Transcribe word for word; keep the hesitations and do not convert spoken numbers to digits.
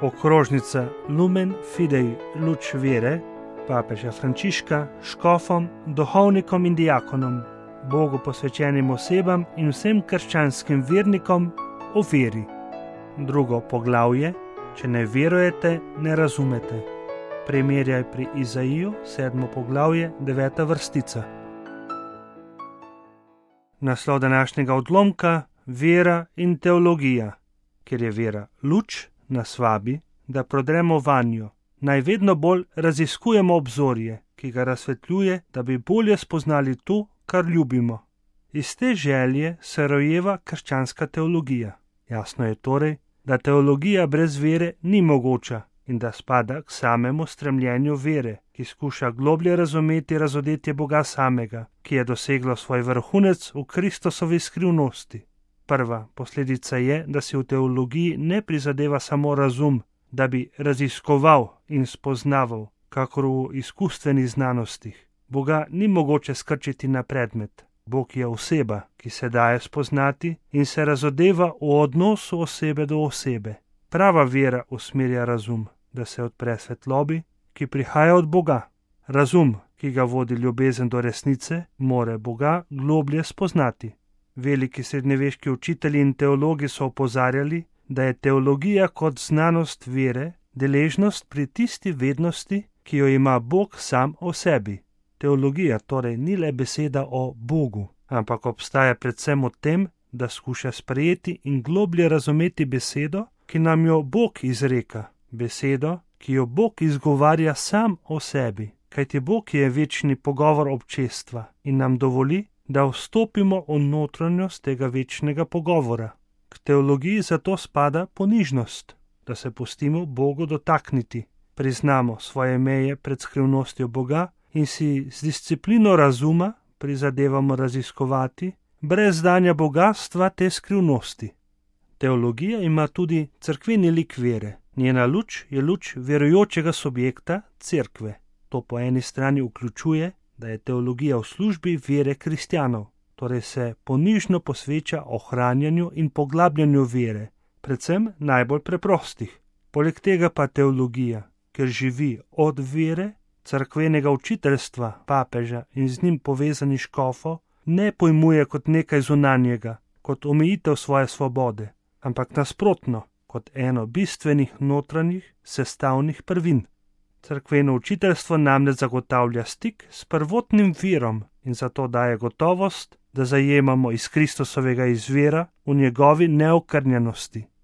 okrožnica Lumen Fidei luč vere papeža Frančiška škofom, duhovnikom in diakonom, Bogu posvečenim osebam in vsem krščanskim vernikom o veri. Drugo poglavje: če ne verujete, ne razumete. Primerjaj pri Izaiju, sedmo poglavje, deveta vrstica. Naslov današnjega odlomka: vera in teologija. Ker je vera luč, nas vabi, da prodremo vanjo, naj vedno bolj raziskujemo obzorje, ki ga razsvetljuje, da bi bolje spoznali to, kar ljubimo. Iz te želje se rojeva krščanska teologija. Jasno je torej, da teologija brez vere ni mogoča in da spada k samemu stremljenju vere, ki skuša globlje razumeti razodetje Boga samega, ki je doseglo svoj vrhunec v Kristusovi skrivnosti. Prva posledica je, da si v teologiji ne prizadeva samo razum, da bi raziskoval in spoznaval, kakor v izkustvenih znanostih. Boga ni mogoče skrčiti na predmet. Bog je oseba, ki se daje spoznati in se razodeva v odnosu osebe do osebe. Prava vera usmerja razum, da se odpre svetlobi, ki prihaja od Boga. Razum, ki ga vodi ljubezen do resnice, more Boga globlje spoznati. Veliki srednjeveški učitelji in teologi so opozarjali, da je teologija kot znanost vere deležnost pri tisti vednosti, ki jo ima Bog sam o sebi. Teologija torej ni le beseda o Bogu, ampak obstaja predvsem v tem, da skuša sprejeti in globlje razumeti besedo, ki nam jo Bog izreka, besedo, ki jo Bog izgovarja sam o sebi, kajti Bog je večni pogovor občestva in nam dovoli, da vstopimo v notranjost tega večnega pogovora. K teologiji zato spada ponižnost, da se pustimo Bogu dotakniti, priznamo svoje meje pred skrivnostjo Boga in si z disciplino razuma prizadevamo raziskovati brez znanja bogastva te skrivnosti. Teologija ima tudi cerkveni lik vere. Njena luč je luč verujočega subjekta, cerkve. To po eni strani vključuje, da je teologija v službi vere kristjanov, torej se ponižno posveča ohranjanju in poglabljanju vere, predvsem najbolj preprostih. Poleg tega pa teologija, ker živi od vere, cerkvenega učiteljstva, papeža in z njim povezani škofov, ne pojmuje kot nekaj zunanjega, kot omejitev svoje svobode, ampak nasprotno, kot eno bistvenih notranjih sestavnih prvin. Cerkveno učiteljstvo namreč zagotavlja stik s prvotnim virom in zato daje gotovost, da zajemamo iz Kristusovega izvira v njegovi neokrnjenosti.